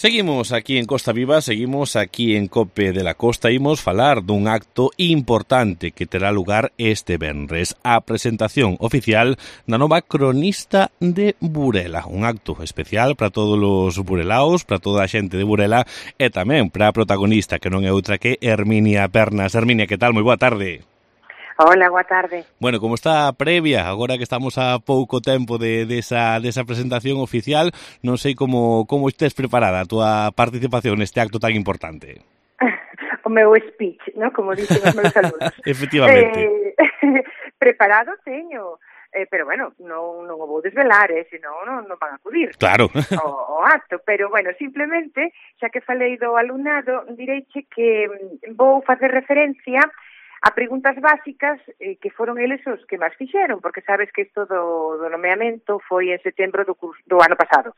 Seguimos aquí en Costa Viva, seguimos aquí en COPE de la Costa. Imos falar dun acto importante que terá lugar este venres. A presentación oficial da nova cronista de Burela. Un acto especial para todos os burelaos, para toda a xente de Burela e tamén para a protagonista, que non é outra que Herminia Pernas. Herminia, que tal? Moi boa tarde. Hola, boa tarde. Bueno, como está a previa, agora que estamos a pouco tempo desa presentación oficial, non sei como estés preparada a túa participación neste acto tan importante. O meu speech, ¿no? Como dicen os meus alumnos. Efectivamente. Preparado teño, pero bueno, non o vou desvelar, senón non van a acudir. Claro. O acto, pero bueno, simplemente, xa que falei do alumnado, direiche que vou facer referencia a preguntas básicas que foron eles os que máis fixeron, porque sabes que isto do nomeamento foi en setembro do ano pasado.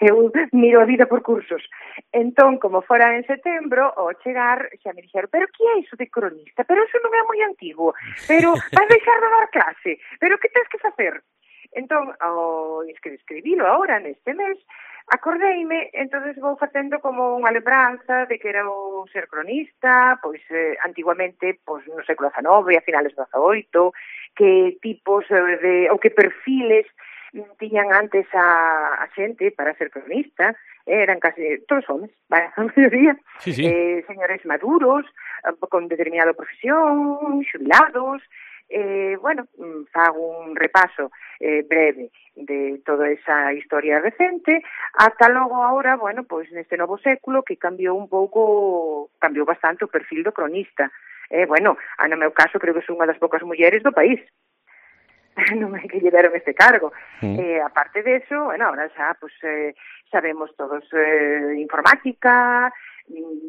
Eu miro a vida por cursos. Entón, como fora en setembro, ao chegar, xa me dixeron, pero que é iso de cronista? Pero iso non é moi antigo. Pero vas deixar de dar clase. Pero que tens que facer? Entón, escribilo agora, neste mes, acordeime, entonces vou facendo como unha lembranza de que era o ser cronista, pois antiguamente, pois no século XIX, a finales do XVIII, que tipos ou que perfiles tiñan antes a xente para ser cronista, eran casi todos homes, a maioría, sí. Señores maduros, con determinada profesión, xubilados. Bueno, fago un repaso breve de toda esa historia recente, ata logo agora, bueno, pois neste novo século que cambiou bastante o perfil do cronista. Bueno, no meu caso creo que son unha das poucas mulleres do país. Non é que lle deron este cargo. Aparte de eso, bueno, ahora xa pues, sabemos todos informática,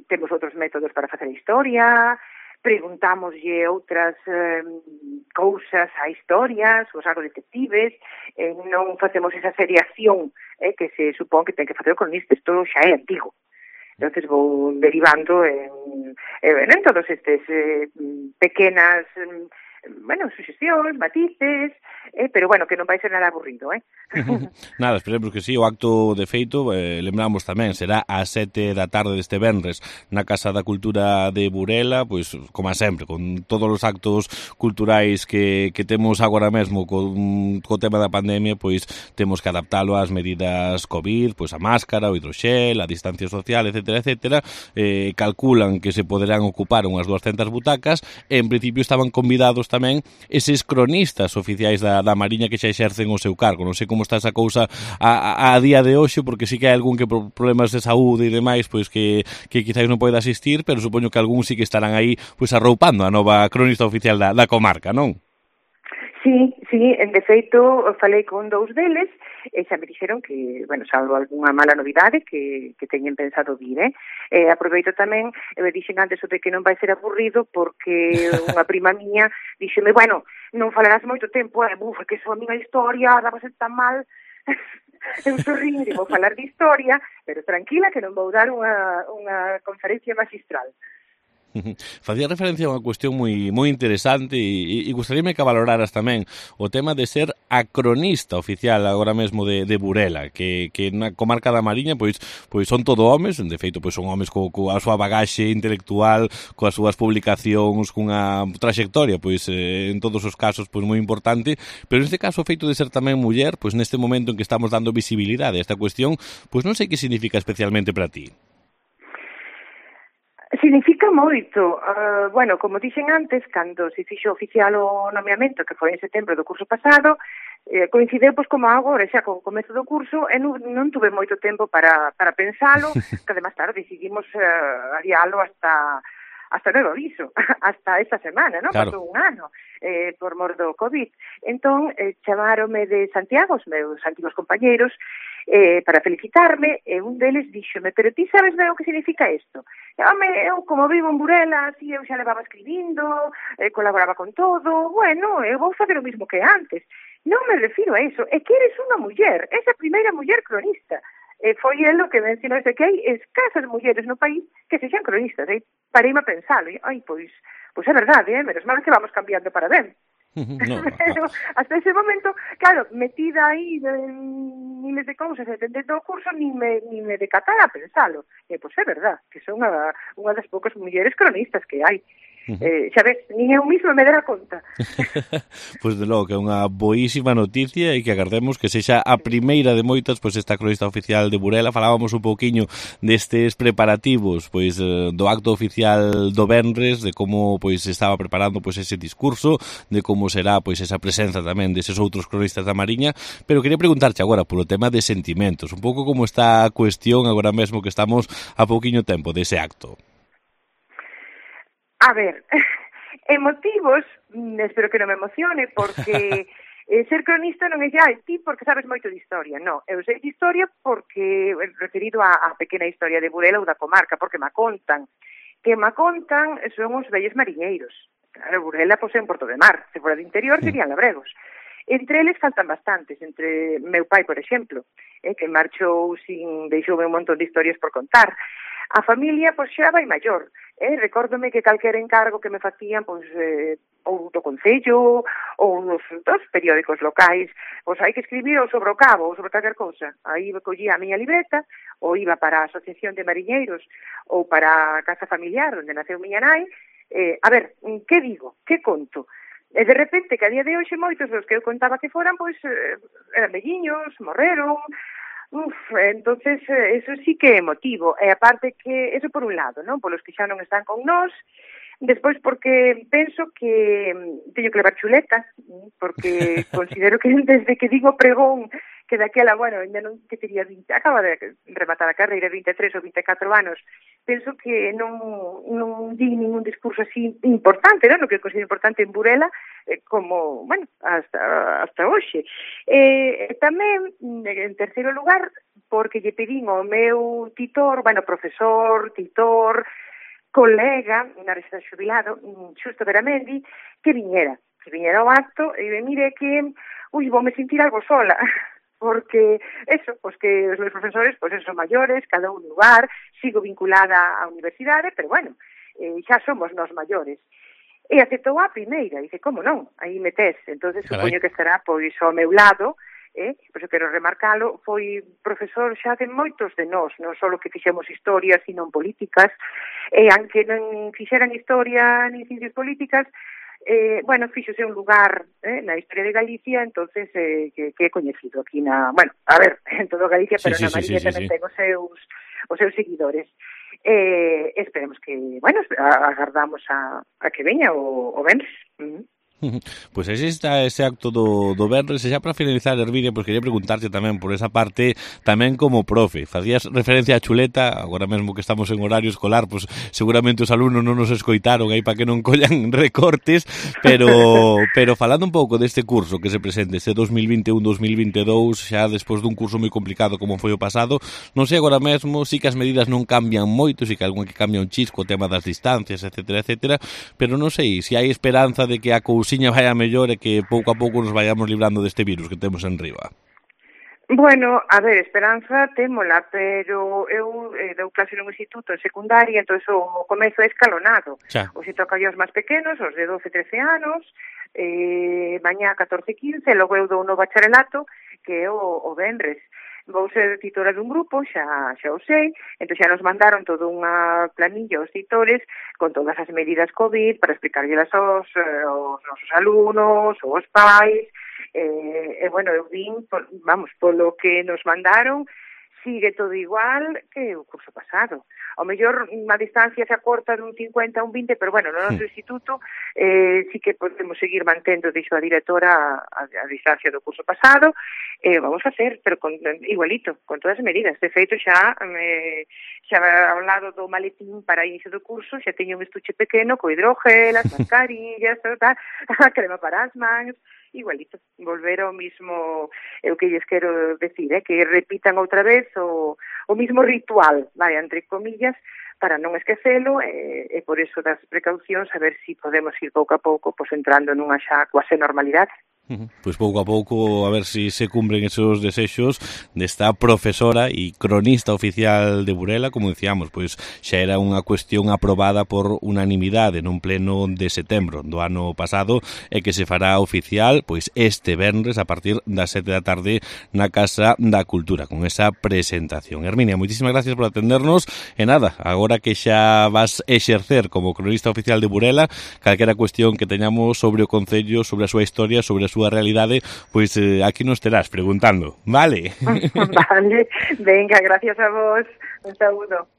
temos outros métodos para facer historia, preguntámoslle outras cousas a historias, os agro detectives, non facemos esa seriación que se supón que ten que facer o cronista, isto xa é antigo. Entonces vou derivando en todos estes pequenas suxestións, matices, pero bueno, que non vai ser nada aburrido, Nada, esperemos que sí. O acto de feito, lembramos tamén, será ás 7 da tarde deste venres na Casa da Cultura de Burela, pois, como sempre, con todos os actos culturais que temos agora mesmo co tema da pandemia, pois temos que adaptalo ás medidas COVID, pois a máscara, o hidroxel, a distancia social, etcétera. Calculan que se poderán ocupar unhas 200 butacas, e en principio estaban convidados tamén eses cronistas oficiais da Mariña que xa exercen o seu cargo. Non sei como está esa cousa a día de hoxe, porque sí que hai algún que por problemas de saúde e demais, pois que quizás non pode asistir, pero supoño que algún sí que estarán aí pois arroupando a nova cronista oficial da comarca, non? Sí, de feito, falei con dous deles e xa me dixeron que, bueno, salvo algunha mala novidade que teñen pensado vir, aproveito tamén, me dixen antes o de que non vai ser aburrido porque unha prima miña dixeme, bueno, non falarás moito tempo, que iso a miña historia daba ser tan mal. Eu sorrín e vou falar de historia, pero tranquila que non vou dar unha conferencia magistral. Facía referencia a unha cuestión moi interesante e gustaríame que valoraras tamén o tema de ser a cronista oficial agora mesmo de Burela, que na comarca da Mariña pois son todo homes, de feito pois son homes coa súa bagaxe intelectual, coas súas publicacións, cunha trayectoria pois en todos os casos pois moi importante, pero neste caso o feito de ser tamén muller, pois neste momento en que estamos dando visibilidade a esta cuestión, pois non sei que significa especialmente para ti. Significa moito. Bueno, como dixen antes, cando se fixo oficial o nomeamento, que foi en setembro do curso pasado, coincideu pois como agora, xa con o comezo do curso, e non tuve moito tempo para pensalo, que además, claro, decidimos adialo hasta novo aviso, hasta esta semana, non? Claro. Pasou un ano por mor do COVID. Entón, chamáronme de Santiago, os meus antigos compañeiros, para felicitarme, e un deles díxome, pero ti sabes ben o que significa isto? Eu, como vivo en Burela, así eu xa levaba escribindo, colaboraba con todo, bueno, eu vou fazer o mismo que antes. Non me refiro a iso, é que eres unha muller, esa primeira muller cronista. Foi el o que mencionou que hai escasas mulleres no país que sexan cronistas, pareime a pensalo, pois é verdade, menos mal que vamos cambiando para ben. No, Pero hasta ese momento, claro, metida aí en miles de cousas e dentro do curso ni me decatara a pensalo. E, pois é verdad, que son unha das poucas mulleres cronistas que hai. Xa ves, nin eu misma me dera conta. Pois de logo que é unha boísima noticia e que agardemos que sexa a primeira de moitas, pois esta cronista oficial de Burela. Falábamos un pouquiño destes preparativos, pois do acto oficial do venres, de como pois estaba preparando pois ese discurso, de como será pois esa presenza tamén deses outros cronistas da Mariña, pero quería preguntarche agora polo tema de sentimentos, un pouco como está a cuestión agora mesmo que estamos a pouquiño tempo dese acto. A ver, emotivos, espero que non me emocione, porque ser cronista non é xa ti porque sabes moito de historia, non. Eu sei de historia porque, referido á pequena historia de Burela ou da comarca, porque me contan. Que me contan son os vellos mariñeiros. Claro, Burela pois é un porto de mar, se fora de interior serían labregos. Entre eles faltan bastantes, entre meu pai, por exemplo, que marchou deixoume un montón de historias por contar. A familia, pois, xa vai maior. Recórdome que calquera encargo que me facían, pois, ou do Concello, ou dos periódicos locais, pois hai que escribir ou sobre o cabo, ou sobre calquer cousa. Aí collía a miña libreta, ou iba para a Asociación de Mariñeiros, ou para a Casa Familiar, onde naceu miña nai. A ver, que digo? Que conto? E de repente, que a día de hoxe moitos dos que eu contaba que foran, pois, eran velliños, morreron. Entonces, eso sí que é emotivo. E aparte que, eso por un lado, non? Polos que xa non están con nós. Despois porque penso que teño que levar chuleta, porque considero que desde que digo pregón, que daquela, bueno, ainda non que tería 20, acaba de rematar a carreira, 23 ou 24 anos, penso que non di ningún discurso así importante, non? O que considero importante en Burela, como, bueno, hasta hoxe. Tamén, en terceiro lugar, porque lle pedín ao meu titor, bueno, profesor, titor, colega, na residencia xubilado, Xusto Veramendi, que viñera ao acto, e mire que, voume sentir algo sola, porque eso, pois que os meus profesores, pois son maiores, cada un lugar, sigo vinculada á universidade, pero bueno, xa somos nós maiores. E aceptou a primeira, dice, como non, aí metes, entonces supoño que estará pois ao meu lado, pois eu quero remarcalo, foi profesor xa de moitos de nós, non só que fixemos historia, sino en políticas, e aunque non fixeran historia ni ciencias políticas, bueno, fíxose un lugar na historia de Galicia, entonces que é coñecido aquí na, bueno, a ver, en todo Galicia, pero na Mariña tamén ten os seus seguidores. Esperemos que, bueno, agardamos a que veña o venres. Pois aí está ese acto do venres. E xa para finalizar, Hermínia, pois quería preguntarte tamén por esa parte, tamén como profe. Facías referencia á chuleta, agora mesmo que estamos en horario escolar, pois seguramente os alumnos non nos escoitaron aí para que non collan recortes, pero falando un pouco deste curso que se presente, este 2021-2022, xa despois dun curso moi complicado como foi o pasado, non sei agora mesmo, si que as medidas non cambian moito, si que algún que cambia un chisco, o tema das distancias, etcétera, pero non sei se hai esperanza de que a cousiña vai a mellor e que pouco a pouco nos vayamos librando deste virus que temos en riba. Bueno, a ver, esperanza témola, pero eu dou clase nun instituto en secundaria, entón o comezo é escalonado. Os toca aos máis pequenos, os de 12-13 anos, mañá 14-15, logo eu dou no bacharelato, que é o venres. Vou ser titora dun grupo, xa o sei, entón xa nos mandaron toda unha planilla aos titores con todas as medidas COVID para explicárllelas aos nosos alumnos, aos pais, bueno, eu vin, polo que nos mandaron, sigue todo igual que o curso pasado. Ao mellor a distancia se acorta dun 50 a un 20, pero bueno, no noso instituto sí que podemos seguir mantendo, dixo a directora, a distancia do curso pasado, vamos a hacer, pero igualito, con todas as medidas. De feito, xa ao lado do maletín para inicio do curso, xa teño un estuche pequeno co hidrógel, as mascarillas, a crema para as mans, igualito, volver ao mismo, o que lles quero decir, que repitan outra vez o mismo ritual, entre comillas, para non esquecelo, e por eso das precaucións, a ver se podemos ir pouco a pouco entrando nunha xa cuase normalidade. Pois pouco a pouco a ver si se cumpren esos desexos desta profesora e cronista oficial de Burela, como decíamos, pois xa era unha cuestión aprobada por unanimidade nun pleno de setembro do ano pasado e que se fará oficial pois este venres a partir das 7 da tarde na Casa da Cultura con esa presentación. Herminia, moitísimas gracias por atendernos e nada, agora que xa vas exercer como cronista oficial de Burela, calquera cuestión que teñamos sobre o Concello, sobre a súa historia, sobre a súa realidade, pois aquí nos terás preguntando, vale? Vale, venga, gracias a vos, un saúdo.